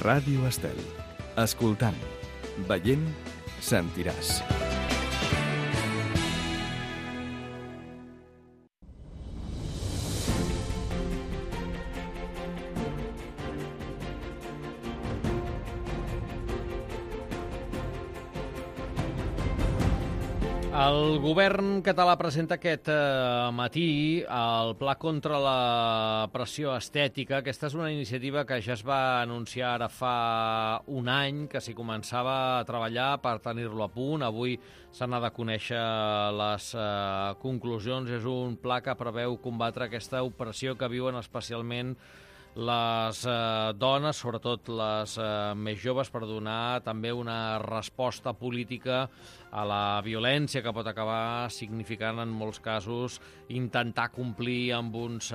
Ràdio Estel. Escoltant, veient, sentiràs. El govern català presenta aquest matí el Pla contra la pressió estètica. Aquesta és una iniciativa que ja es va anunciar ara fa un any, que s'hi començava a treballar per tenir-lo a punt. Avui se n'ha de conèixer les conclusions. És un pla que preveu combatre aquesta opressió que viuen especialment les dones, sobretot les més joves, per donar també una resposta política a la violència que pot acabar significant en molts casos intentar complir amb uns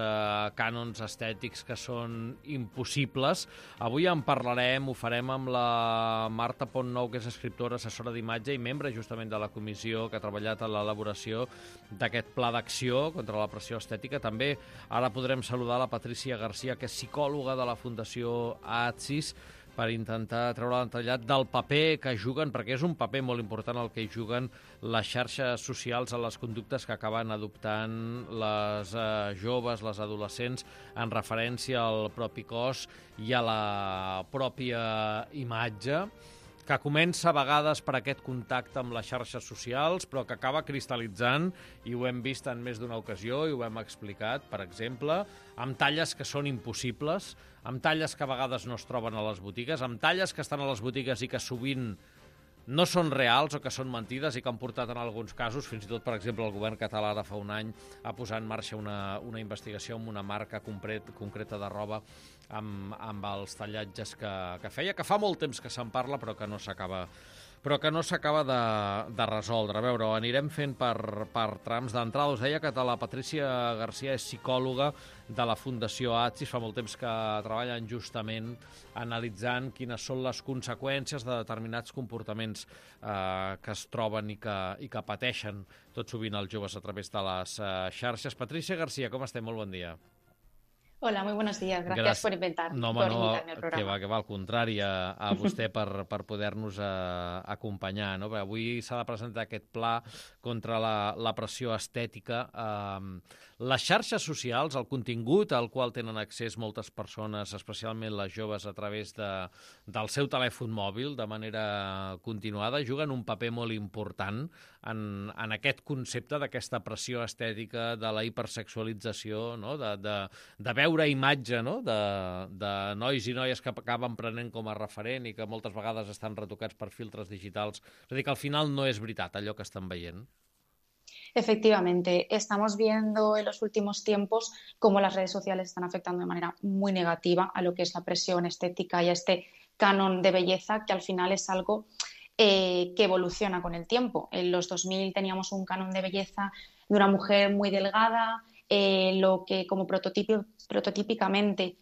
cànons estètics que són impossibles. Avui en parlarem, ho farem amb la Marta Pontnou, que és escriptora, assessora d'imatge i membre justament de la comissió que ha treballat en l'elaboració d'aquest pla d'acció contra la pressió estètica. També ara podrem saludar la Patrícia Garcia, que és psicòloga de la Fundació ATSIS, per intentar treure l'entrellat del paper que juguen, perquè és un paper molt important el que hi juguen les xarxes socials a les conductes que acaben adoptant les joves, les adolescents, en referència al propi cos i a la pròpia imatge, que comença a vegades per aquest contacte amb les xarxes socials, però que acaba cristal·litzant, i ho hem vist en més d'una ocasió, i ho hem explicat, per exemple, amb talles que són impossibles, amb talles que a vegades no es troben a les botigues, amb talles que estan a les botigues i que sovint no són reals o que són mentides i que han portat en alguns casos, fins i tot, per exemple, el govern català ara fa un any a posar en marxa una investigació amb una marca concreta de roba amb els tallatges que feia, que fa molt temps que se'n parla però que no s'acaba de resoldre. A veure, ho anirem fent per trams. D'entrada us deia que la Patrícia Garcia és psicòloga de la Fundació ATSIS. Fa molt temps que treballen justament analitzant quines són les conseqüències de determinats comportaments que es troben i que pateixen tot sovint els joves a través de les xarxes. Patrícia Garcia, com estem? Molt bon dia. Hola, muy buenos días. Gracias por invitarme al programa. Que va, al contrari, a vostè per poder-nos acompanyar. No? Avui s'ha de presentar aquest pla contra la pressió estètica. Les xarxes socials, el contingut al qual tenen accés moltes persones, especialment les joves, a través del seu telèfon mòbil, de manera continuada, juguen un paper molt important en aquest concepte d'aquesta pressió estètica, de la hipersexualització, no? de veure imatge, no? de nois i noies que acaben prenent com a referent i que moltes vegades estan retocats per filtres digitals. És a dir, que al final no és veritat allò que estan veient. Efectivamente, estamos viendo en los últimos tiempos cómo las redes sociales están afectando de manera muy negativa a lo que es la presión estética y a este canon de belleza, que al final es algo que evoluciona con el tiempo. En los 2000 teníamos un canon de belleza de una mujer muy delgada, lo que como prototípicamente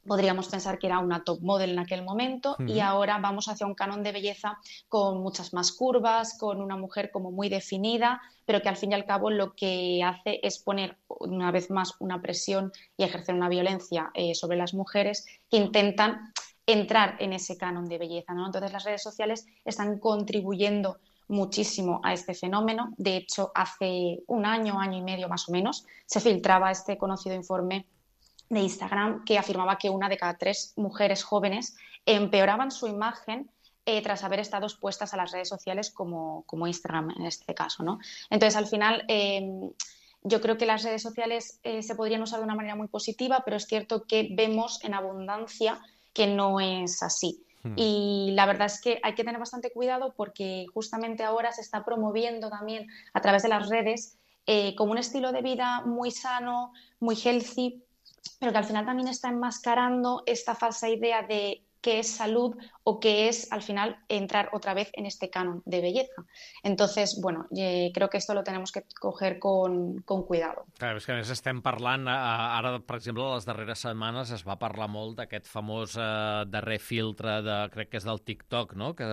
podríamos pensar que era una top model en aquel momento, y ahora vamos hacia un canon de belleza con muchas más curvas, con una mujer como muy definida, pero que al fin y al cabo lo que hace es poner una vez más una presión y ejercer una violencia sobre las mujeres que intentan entrar en ese canon de belleza, ¿no? Entonces las redes sociales están contribuyendo muchísimo a este fenómeno. De hecho, hace un año y medio más o menos, se filtraba este conocido informe de Instagram que afirmaba que 1 de cada 3 mujeres jóvenes empeoraban su imagen tras haber estado expuestas a las redes sociales como Instagram en este caso, ¿no? Entonces, al final, yo creo que las redes sociales se podrían usar de una manera muy positiva, pero es cierto que vemos en abundancia que no es así. Y la verdad es que hay que tener bastante cuidado porque justamente ahora se está promoviendo también a través de las redes como un estilo de vida muy sano, muy healthy, pero que al final también está enmascarando esta falsa idea de qué es salud o qué es, al final, entrar otra vez en este canon de belleza. Entonces, bueno, creo que esto lo tenemos que coger con cuidado. Clar, és que a més estem parlant, ara, per exemple, les darreres setmanes es va parlar molt d'aquest famós darrer filtre, crec que és del TikTok, no? Que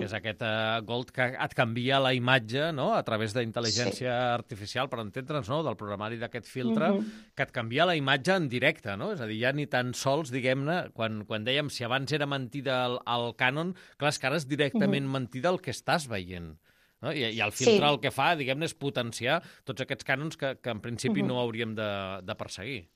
és aquest Gold que et canvia la imatge, no? A través d'intel·ligència artificial, per entendre'ns, no? Del programari d'aquest filtre, que et canvia la imatge en directe, no? És a dir, ja ni tan sols, diguem-ne, quan dèiem si abans era mentida el cànon, clar, és que ara és directament mentida el que estàs veient. No? I el filtre el que fa, diguem-ne, és potenciar tots aquests cànons que en principi no hauríem de perseguir.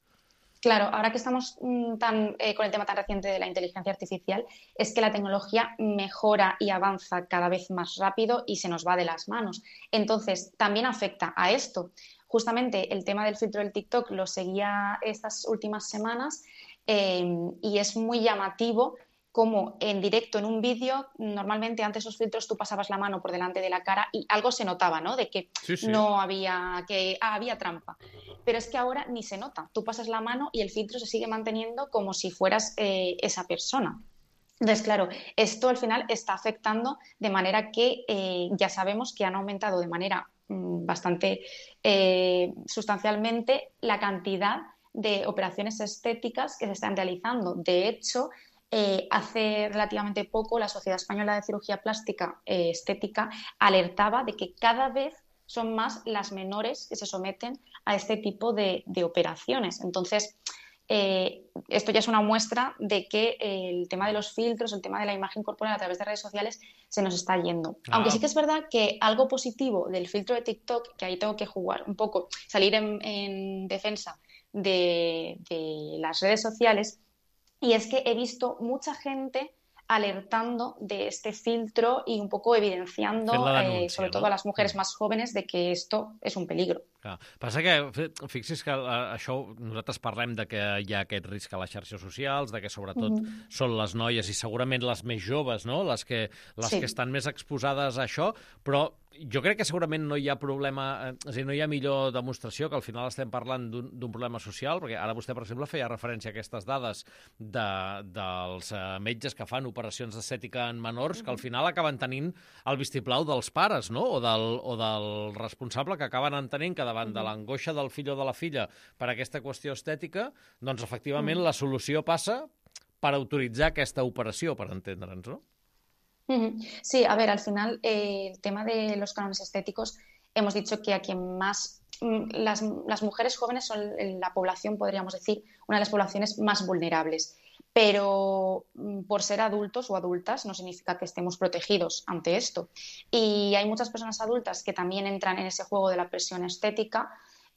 Claro, ahora que estamos con el tema tan reciente de la inteligencia artificial, es que la tecnología mejora y avanza cada vez más rápido y se nos va de las manos. Entonces, también afecta a esto. Justamente el tema del filtro del TikTok lo seguía estas últimas semanas y es muy llamativo como en directo, en un vídeo, normalmente antes esos filtros tú pasabas la mano por delante de la cara y algo se notaba, ¿no? De que no había, había trampa. Pero es que ahora ni se nota. Tú pasas la mano y el filtro se sigue manteniendo como si fueras esa persona. Entonces, claro, esto al final está afectando de manera que ya sabemos que han aumentado de manera bastante sustancialmente la cantidad de operaciones estéticas que se están realizando. De hecho, hace relativamente poco la Sociedad Española de Cirugía Plástica Estética alertaba de que cada vez son más las menores que se someten a este tipo de operaciones. Entonces, esto ya es una muestra de que el tema de los filtros, el tema de la imagen corporal a través de redes sociales se nos está yendo. Aunque sí que es verdad que algo positivo del filtro de TikTok, que ahí tengo que jugar un poco, salir en defensa de las redes sociales, y es que he visto mucha gente alertando de este filtro y un poco evidenciando, sobre todo a las mujeres más jóvenes, de que esto és un peligro. Clar. Passa que, fixi's que això, nosaltres parlem de que hi ha aquest risc a les xarxes socials, de que sobretot són les noies i segurament les més joves, no? les que estan més exposades a això, però jo crec que segurament no hi ha problema, és a dir, no hi ha millor demostració que al final estem parlant d'un problema social, perquè ara vostè, per exemple, feia referència a aquestes dades dels metges que fan operacions d'estètica en menors, que al final acaben tenint el vistiplau dels pares, no? o del responsable, que acaben entenent que davant de l'angoixa del fill o de la filla per aquesta qüestió estètica, doncs efectivament la solució passa per autoritzar aquesta operació, per entendre'ns, no? Sí, a ver, al final el tema de los cánones estéticos, hemos dicho que a quien más, las mujeres jóvenes son la población, podríamos decir, una de las poblaciones más vulnerables, pero por ser adultos o adultas no significa que estemos protegidos ante esto. Y hay muchas personas adultas que también entran en ese juego de la presión estética,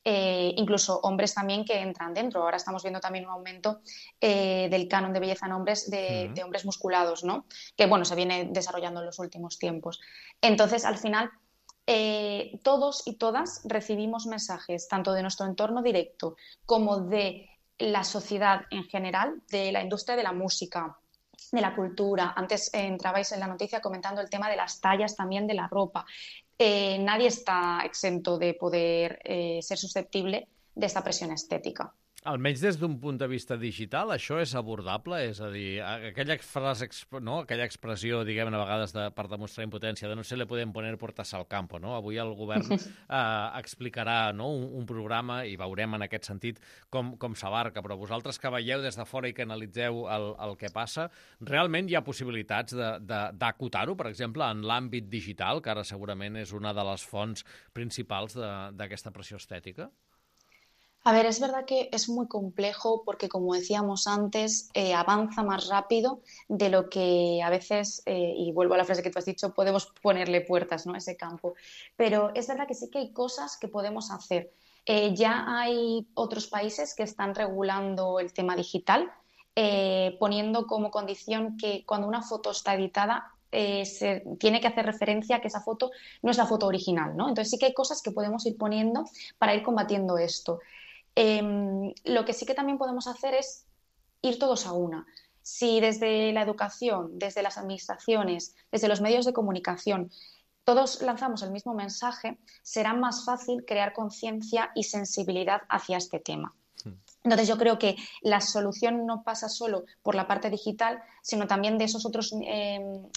incluso hombres también que entran dentro. Ahora estamos viendo también un aumento del canon de belleza en hombres, de hombres musculados, ¿no? Que bueno, se viene desarrollando en los últimos tiempos. Entonces, al final, todos y todas recibimos mensajes, tanto de nuestro entorno directo como de la sociedad en general, de la industria de la música, de la cultura. Antes entrabais en la noticia comentando el tema de las tallas también de la ropa. Nadie está exento de poder ser susceptible de esta presión estética. Almenys des d'un punt de vista digital, això és abordable? És a dir, aquella frase, no? Aquella expressió, diguem-ne, a vegades per demostrar impotència, de no se le pueden poner puertas al campo, no? Avui el govern explicarà, no? un programa i veurem en aquest sentit com s'abarca, però vosaltres que veieu des de fora i que analitzeu el que passa, realment hi ha possibilitats d'acotar-ho, per exemple, en l'àmbit digital, que ara segurament és una de les fonts principals d'aquesta pressió estètica? A ver, es verdad que es muy complejo porque, como decíamos antes, avanza más rápido de lo que a veces, y vuelvo a la frase que tú has dicho, podemos ponerle puertas, ¿no?, a ese campo. Pero es verdad que sí que hay cosas que podemos hacer. Ya hay otros países que están regulando el tema digital, poniendo como condición que cuando una foto está editada, se tiene que hacer referencia a que esa foto no es la foto original, ¿no? Entonces sí que hay cosas que podemos ir poniendo para ir combatiendo esto. Lo que sí que también podemos hacer es ir todos a una. Si desde la educación, desde las administraciones, desde los medios de comunicación, todos lanzamos el mismo mensaje, será más fácil crear conciencia y sensibilidad hacia este tema. Entonces yo creo que la solución no pasa solo por la parte digital, sino también de esos otros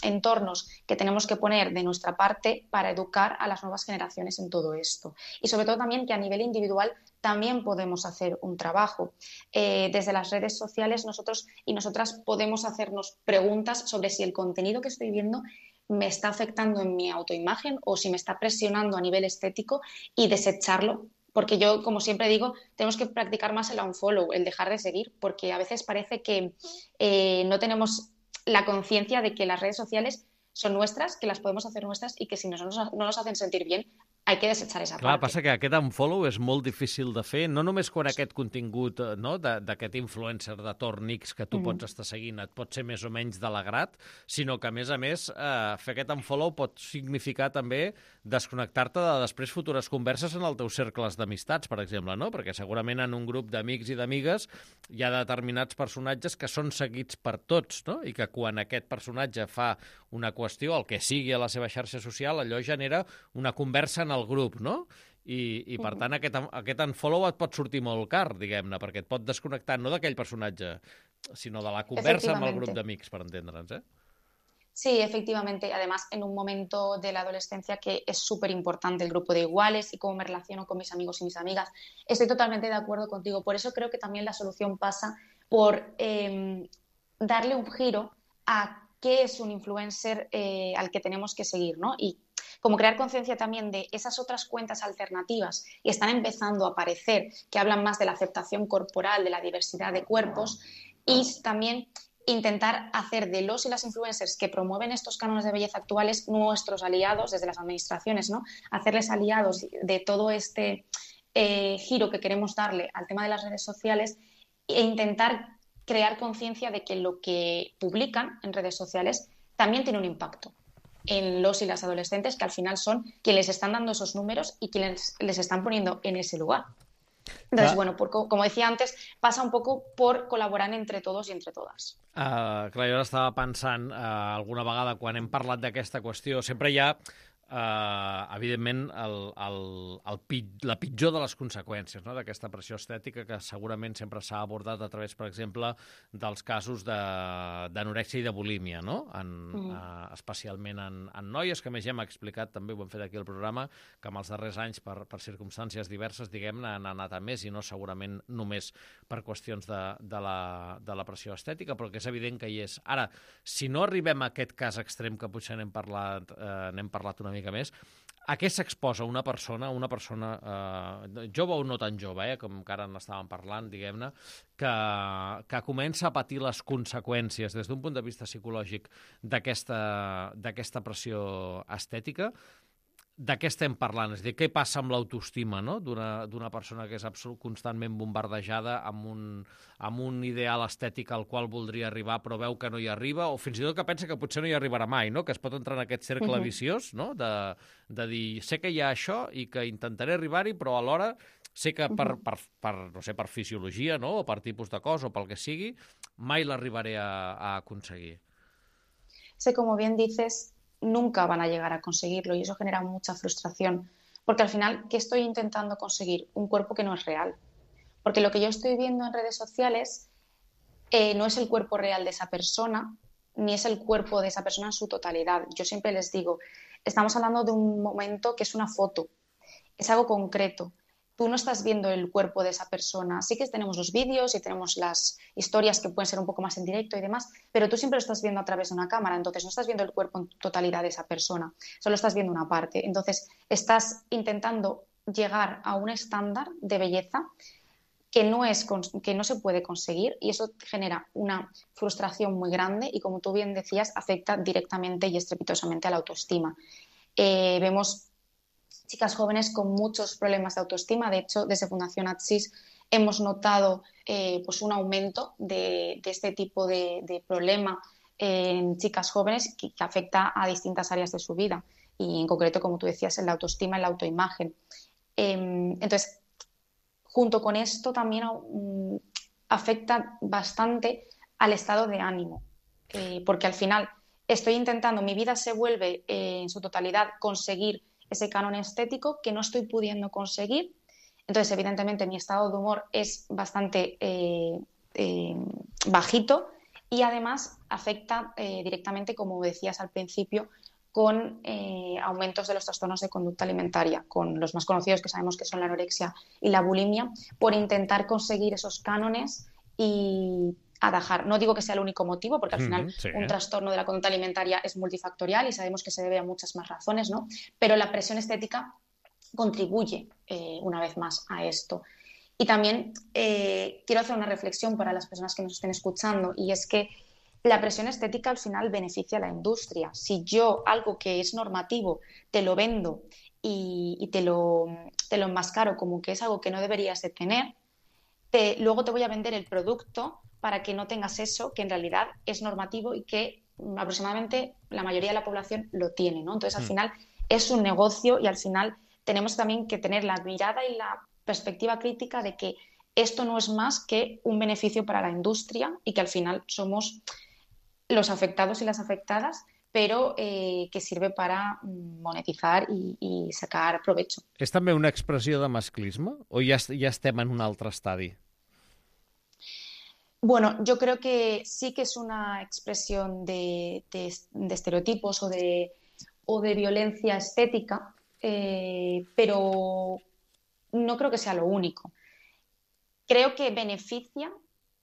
entornos que tenemos que poner de nuestra parte para educar a las nuevas generaciones en todo esto. Y sobre todo también que a nivel individual también podemos hacer un trabajo. Desde las redes sociales nosotros y nosotras podemos hacernos preguntas sobre si el contenido que estoy viendo me está afectando en mi autoimagen o si me está presionando a nivel estético y desecharlo. Porque yo, como siempre digo, tenemos que practicar más el unfollow, el dejar de seguir, porque a veces parece que no tenemos la conciencia de que las redes sociales son nuestras, que las podemos hacer nuestras y que si no nos hacen sentir bien, hay que desechar esa Clar, parte. passa que aquest unfollow és molt difícil de fer, no només quan aquest contingut d'aquest influencer de torn X que tu pots estar seguint et pot ser més o menys de l'agrat, sinó que, a més, fer aquest unfollow pot significar també desconnectar-te de després futures converses en els teus cercles d'amistats, per exemple, no? Perquè segurament en un grup d'amics i d'amigues hi ha determinats personatges que són seguits per tots, no? I que quan aquest personatge fa una qüestió, el que sigui a la seva xarxa social, allò genera una conversa en el grup, no? I per tant, aquest unfollow et pot sortir molt car, diguem-ne, perquè et pot desconnectar no d'aquell personatge, sinó de la conversa amb el grup d'amics, per entendre'ns, Sí, efectivamente. Además, en un momento de la adolescencia que es súper importante el grupo de iguales y cómo me relaciono con mis amigos y mis amigas. Estoy totalmente de acuerdo contigo. Por eso creo que también la solución pasa por darle un giro a qué es un influencer al que tenemos que seguir, ¿no? Y como crear conciencia también de esas otras cuentas alternativas que están empezando a aparecer, que hablan más de la aceptación corporal, de la diversidad de cuerpos, y también intentar hacer de los y las influencers que promueven estos cánones de belleza actuales nuestros aliados desde las administraciones, ¿no? Hacerles aliados de todo este giro que queremos darle al tema de las redes sociales e intentar crear conciencia de que lo que publican en redes sociales también tiene un impacto en los y las adolescentes, que al final son quienes les están dando esos números y quienes les están poniendo en ese lugar. Entonces, bueno, como decía antes, passa un poco por col·laborar entre todos i entre totes. Clar, jo ara estava pensant, alguna vegada quan hem parlat d'aquesta qüestió, sempre hi ha, evidentment, la pitjor de les conseqüències, no?, d'aquesta pressió estètica que segurament sempre s'ha abordat a través, per exemple, dels casos d'anorèxia i de bulímia, no? Especialment en noies, que més ja hem explicat, també ho hem fet aquí al programa, que en els darrers anys, per circumstàncies diverses, diguem-ne, han anat a més, i no segurament només per qüestions de la pressió estètica, però que és evident que hi és. Ara, si no arribem a aquest cas extrem que potser n'hem parlat una mica més, a què s'exposa una persona jove o no tan jove, com que ara n'estàvem parlant, diguem-ne, que comença a patir les conseqüències des d'un punt de vista psicològic d'aquesta pressió estètica? De què estem parlant? És a dir, què passa amb l'autoestima, no?, d'una persona que és constantment bombardejada amb un ideal estètic al qual voldria arribar però veu que no hi arriba, o fins i tot que pensa que potser no hi arribarà mai, no?, que es pot entrar en aquest cercle viciós, no?, de dir, sé que hi ha això i que intentaré arribar-hi, però alhora sé que per fisiologia, no?, o per tipus de cos o pel que sigui, mai l'arribaré a aconseguir. Sé, como bien dices, nunca van a llegar a conseguirlo y eso genera mucha frustración, porque al final, ¿qué estoy intentando conseguir? Un cuerpo que no es real, porque lo que yo estoy viendo en redes sociales no es el cuerpo real de esa persona, ni es el cuerpo de esa persona en su totalidad. Yo siempre les digo, estamos hablando de un momento que es una foto, es algo concreto. Tú no estás viendo el cuerpo de esa persona. Sí que tenemos los vídeos y tenemos las historias que pueden ser un poco más en directo y demás, pero tú siempre lo estás viendo a través de una cámara, entonces no estás viendo el cuerpo en totalidad de esa persona, solo estás viendo una parte. Entonces estás intentando llegar a un estándar de belleza que no se puede conseguir y eso genera una frustración muy grande y, como tú bien decías, afecta directamente y estrepitosamente a la autoestima. Vemos chicas jóvenes con muchos problemas de autoestima. De hecho, desde Fundación ATSIS hemos notado pues un aumento de este tipo de problema en chicas jóvenes que afecta a distintas áreas de su vida y, en concreto, como tú decías, en la autoestima, en la autoimagen. Entonces, junto con esto también afecta bastante al estado de ánimo, porque al final estoy intentando, mi vida se vuelve en su totalidad conseguir ese canon estético que no estoy pudiendo conseguir. Entonces, evidentemente, mi estado de humor es bastante bajito y además afecta directamente, como decías al principio, con aumentos de los trastornos de conducta alimentaria, con los más conocidos que sabemos que son la anorexia y la bulimia, por intentar conseguir esos cánones y atajar. No digo que sea el único motivo, porque al final un trastorno de la conducta alimentaria es multifactorial y sabemos que se debe a muchas más razones, ¿no? Pero la presión estética contribuye una vez más a esto. Y también quiero hacer una reflexión para las personas que nos estén escuchando, y es que la presión estética al final beneficia a la industria. Si yo algo que es normativo te lo vendo y te lo enmascaro como que es algo que no deberías de tener, luego te voy a vender el producto para que no tengas eso que en realidad es normativo y que aproximadamente la mayoría de la población lo tiene, ¿no? Entonces, al final es un negocio y al final tenemos también que tener la mirada y la perspectiva crítica de que esto no es más que un beneficio para la industria y que al final somos los afectados y las afectadas, pero que sirve para monetizar i sacar provecho. És també una expressió de masclisme o ja estem en un altre estadi? Bueno, yo creo que sí que es una expresión de estereotipos o de violencia estética, pero no creo que sea lo único. Creo que beneficia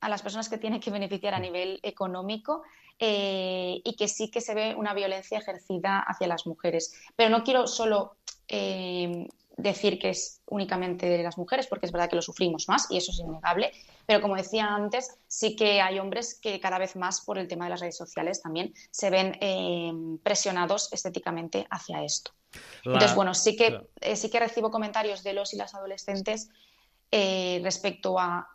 a las personas que tienen que beneficiar a nivel económico y que sí que se ve una violencia ejercida hacia las mujeres. Pero no quiero solo decir que es únicamente de las mujeres, porque es verdad que lo sufrimos más y eso es innegable, pero como decía antes, sí que hay hombres que cada vez más por el tema de las redes sociales también se ven presionados estéticamente hacia esto. Entonces, bueno, sí que recibo comentarios de los y las adolescentes respecto a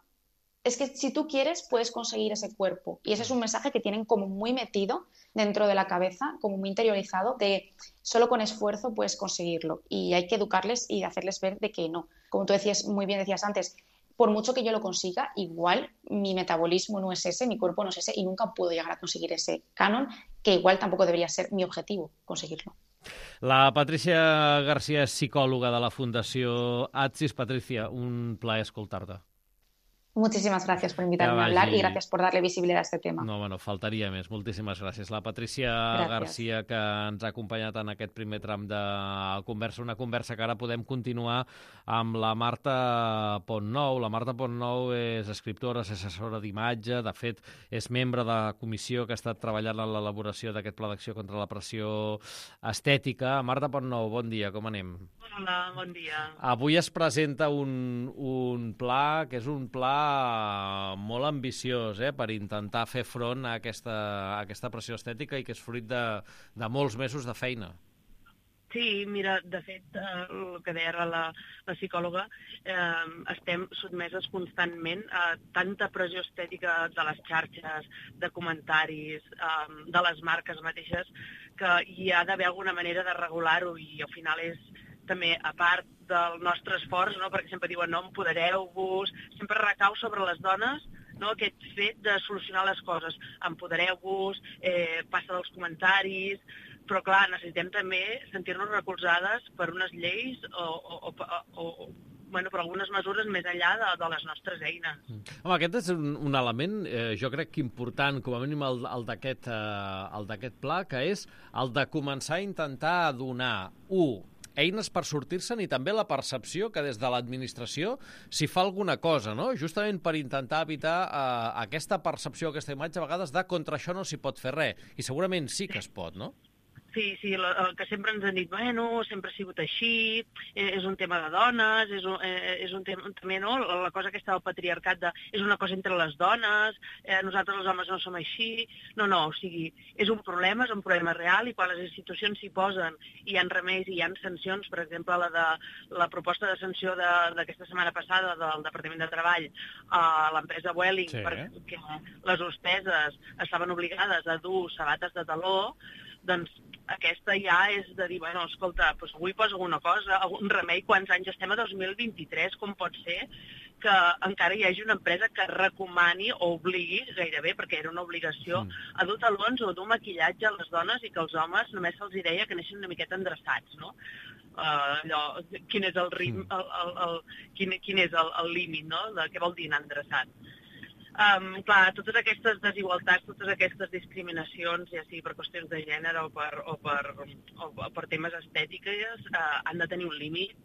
es que si tú quieres puedes conseguir ese cuerpo y ese es un mensaje que tienen como muy metido dentro de la cabeza, como muy interiorizado de solo con esfuerzo puedes conseguirlo y hay que educarles y hacerles ver de que no, como tú decías, muy bien decías antes, por mucho que yo lo consiga, igual mi metabolismo no es ese, mi cuerpo no es ese y nunca puedo llegar a conseguir ese canon que igual tampoco debería ser mi objetivo conseguirlo. La Patrícia Garcia és psicòloga de la Fundació Atsis. Patrícia, un plaer escoltar-te. Muchísimas gracias por invitarme a hablar y gracias por darle visibilidad a este tema. No, bueno, faltaria més. Moltíssimes gràcies. La Patrícia Garcia, que ens ha acompanyat en aquest primer tram de conversa, una conversa que ara podem continuar amb la Marta Pontnou. La Marta Pontnou és escriptora, és assessora d'imatge, de fet, és membre de la comissió que ha estat treballant en l'elaboració d'aquest pla d'acció contra la pressió estètica. Marta Pontnou, bon dia, com anem? Hola, bon dia. Avui es presenta un pla que és un pla molt ambiciós per intentar fer front a aquesta pressió estètica i que és fruit de molts mesos de feina. Sí, mira, de fet, el que deia la psicòloga, estem sotmeses constantment a tanta pressió estètica de les xarxes, de comentaris, de les marques mateixes, que hi ha d'haver alguna manera de regular-ho i al final és també, a part del nostre esforç, no? Perquè sempre diuen, no, empodereu-vos, sempre recau sobre les dones, no? Aquest fet de solucionar les coses. Empodereu-vos, passa dels comentaris, però clar, necessitem també sentir-nos recolzades per unes lleis o per algunes mesures més enllà de les nostres eines. Home, aquest és un element, jo crec que important, com a mínim el d'aquest pla, que és el de començar a intentar donar, eines per sortir-se'n i també la percepció que des de l'administració s'hi fa alguna cosa, no? Justament per intentar evitar aquesta percepció, aquesta imatge, a vegades de contra això no s'hi pot fer res. I segurament sí que es pot, no? Sí, el que sempre ens han dit, bueno, sempre ha sigut així, és un tema de dones, és un tema també, no?, la cosa aquesta del patriarcat és una cosa entre les dones, nosaltres els homes no som així, no, o sigui, és un problema real i quan les institucions s'hi posen i hi ha remeis i hi ha sancions, per exemple, la proposta de sanció d'aquesta setmana passada del Departament de Treball a l'empresa Vueling, sí, perquè les hospeses estaven obligades a dur sabates de taló, doncs aquesta ja és de dir, bueno, escolta, doncs avui posa alguna cosa, algun remei, quants anys estem a 2023, com pot ser que encara hi hagi una empresa que recomani o obligui, gairebé, perquè era una obligació, a dur talons o a dur maquillatge a les dones i que els homes només se'ls deia que neixen una miqueta endreçats, no? Quin és el ritme, quin és el límit, no?, de què vol dir anar endreçat. Clar, totes aquestes desigualtats, totes aquestes discriminacions, ja sigui per qüestions de gènere o per temes estètiques, han de tenir un límit.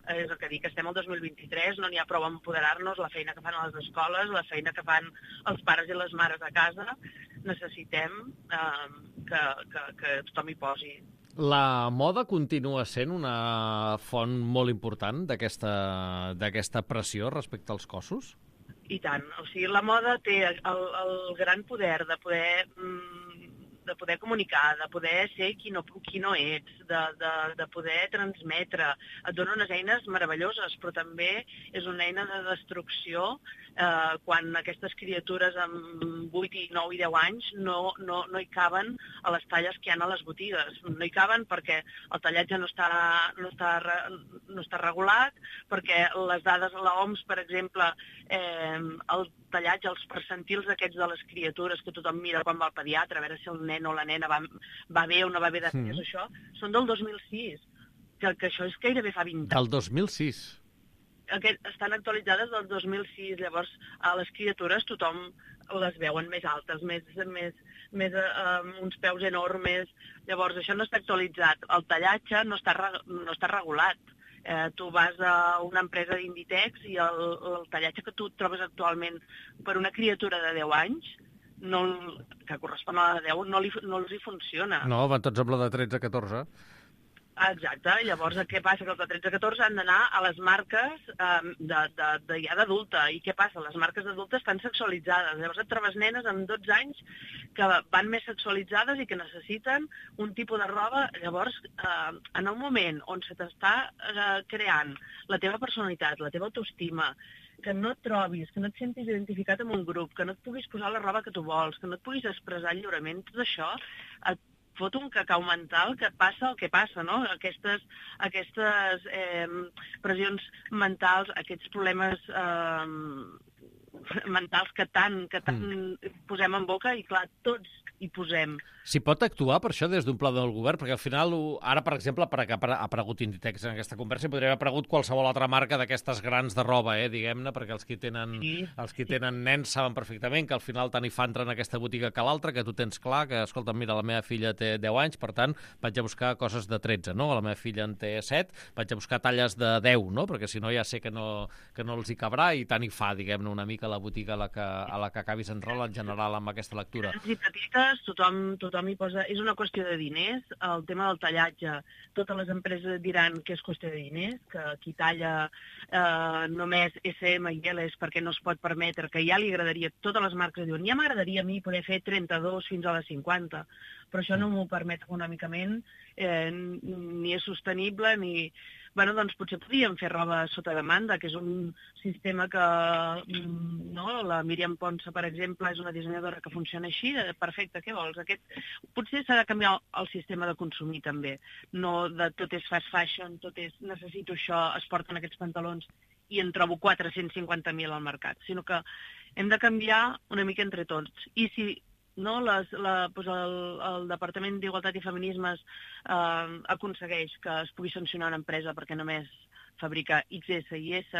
És el que dic, estem al 2023, no n'hi ha prou a empoderar-nos, la feina que fan a les escoles, la feina que fan els pares i les mares a casa, necessitem que tothom hi posi. La moda continua sent una font molt important d'aquesta pressió respecte als cossos? I tant. O sigui, la moda té el gran poder de poder comunicar, de poder ser qui no ets, de poder transmetre. Et dona unes eines meravelloses, però també és una eina de destrucció quan aquestes criatures amb 8, 9 i 10 anys no hi caben a les talles que hi ha a les botigues. No hi caben perquè el tallatge no està regulat, perquè les dades a l'OMS, per exemple, el tallatge, els percentils aquests de les criatures que tothom mira quan va al pediatre, a veure si el nen o la nena va bé o no va bé després, això, són del 2006, que això és gairebé fa 20 anys. Del 2006? Estan actualitzades del 2006, llavors a les criatures tothom les veuen més altes, uns peus enormes, llavors això no està actualitzat, el tallatge no està regulat. Tu vas a una empresa d'Inditex i el tallatge que tu trobes actualment per una criatura de 10 anys, que correspon a la de 10, no els hi funciona. No, van tots amb la de 13-14. Exacte, llavors què passa? Que els de 13-14 han d'anar a les marques ja d'adulta. I què passa? Les marques d'adulta estan sexualitzades. Llavors et trobes nenes amb 12 anys que van més sexualitzades i que necessiten un tipus de roba. Llavors, en un moment on se t'està creant la teva personalitat, la teva autoestima, que no et trobis, que no et sentis identificat amb un grup, que no et puguis posar la roba que tu vols, que no et puguis expressar lliurement, tot això et fot un cacau mental que passa el que passa, no? Aquestes pressions mentals, aquests problemes mentals que tant posem en boca i, clar, tots hi posem. S'hi pot actuar per això des d'un pla del govern? Perquè al final, ara, per exemple, ha aparegut Inditex en aquesta conversa i podria haver aparegut qualsevol altra marca d'aquestes grans de roba, diguem-ne, perquè els que tenen nens saben perfectament que al final tant hi fa entrar en aquesta botiga que l'altra, que tu tens clar que, escolta, mira, la meva filla té 10 anys, per tant, vaig a buscar coses de 13, no? La meva filla en té 7, vaig a buscar talles de 10, no? Perquè si no ja sé que no els hi cabrà i tant hi fa, diguem-ne, una mica la botiga a la que acabis entrant en general amb aquesta lectura. I petites, tothom hi posa... És una qüestió de diners, el tema del tallatge. Totes les empreses diran que és qüestió de diners, que qui talla només SM i L és perquè no es pot permetre, que ja li agradaria, totes les marques diuen, ja m'agradaria a mi poder fer 32 fins a les 50, però això no m'ho permet econòmicament, ni és sostenible, ni... Bueno, doncs potser podríem fer roba sota demanda, que és un sistema que, la Míriam Ponsa, per exemple, és una dissenyadora que funciona així, perfecte, què vols? Potser s'ha de canviar el sistema de consumir també, no de tot és fast fashion, tot és necessito això, es porten aquests pantalons i en trobo 450.000 al mercat, sinó que hem de canviar una mica entre tots. I si el Departament d'Igualtat i Feminismes aconsegueix que es pugui sancionar una empresa perquè només fabrica XS i S,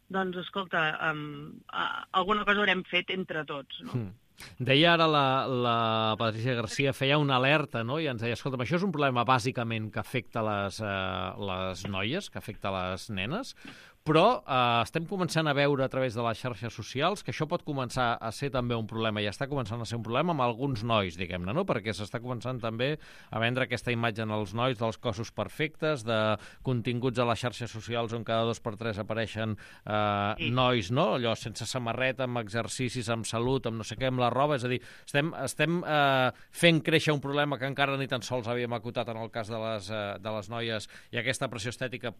doncs, escolta, alguna cosa haurem fet entre tots, no? Deia ara la Patricia Garcia, feia una alerta, no? I ens deia, escolta, això és un problema bàsicament que afecta les noies, que afecta les nenes, però estem començant a veure a través de les xarxes socials que això pot començar a ser també un problema, i està començant a ser un problema amb alguns nois, diguem-ne, no? Perquè s'està començant també a vendre aquesta imatge en els nois dels cossos perfectes, de continguts a les xarxes socials on cada 2 per 3 apareixen nois, no? Allò sense samarreta, amb exercicis, amb salut, amb no sé què, amb la roba, és a dir, estem fent créixer un problema que encara ni tan sols havíem acotat en el cas de les noies, i aquesta pressió estètica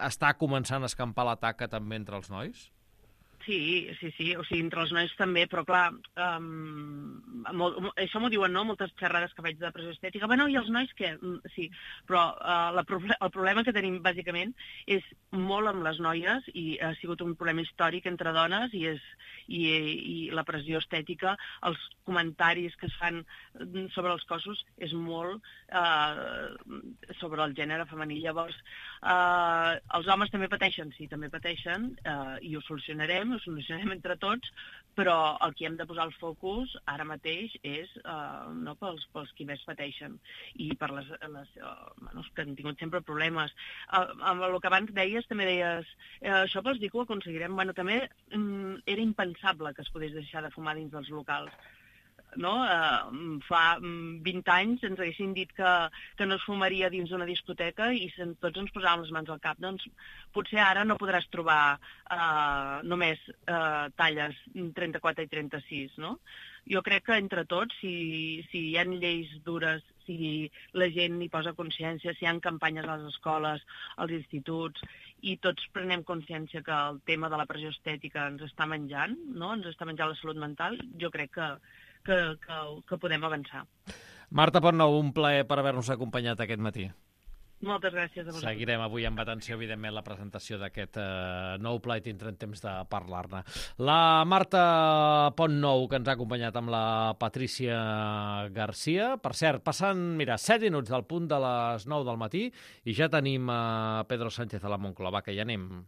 està començant a escampar la taca també entre els nois? Sí, o sigui, entre els nois també, però clar, això m'ho diuen, no?, moltes xerrades que faig de pressió estètica. Bueno, i els nois què? Sí, però el problema que tenim bàsicament és molt amb les noies, i ha sigut un problema històric entre dones, i la pressió estètica, els comentaris que es fan sobre els cossos és molt sobre el gènere femení. Llavors, els homes també pateixen, sí, també pateixen, i ho solucionarem entre tots, però el que hem de posar el focus ara mateix és pels qui més pateixen i per les que han tingut sempre problemes. Amb el que abans deies, també deies, això vols dir que ho aconseguirem? Bueno, també era impensable que es podés deixar de fumar dins dels locals. no? Fa 20 anys ens haguessin dit que no es fumaria dins d'una discoteca i tots ens posàvem les mans al cap. Doncs potser ara no podràs trobar només talles 34 i 36, no? Jo crec que entre tots, si hi ha lleis dures, si la gent hi posa consciència, si hi ha campanyes a les escoles, als instituts, i tots prenem consciència que el tema de la pressió estètica ens està menjant, no? Ens està menjant la salut mental, jo crec que podem avançar. Marta Pontnou, un plaer per haver-nos acompanyat aquest matí. Moltes gràcies a vosaltres. Seguirem avui amb atenció, evidentment, la presentació d'aquest nou pla i tindrem temps de parlar-ne. La Marta Pontnou, que ens ha acompanyat amb la Patrícia Garcia. Per cert, passant, 7 minuts del punt de les 9 del matí i ja tenim Pedro Sánchez a la Moncloa. Va, que ja anem.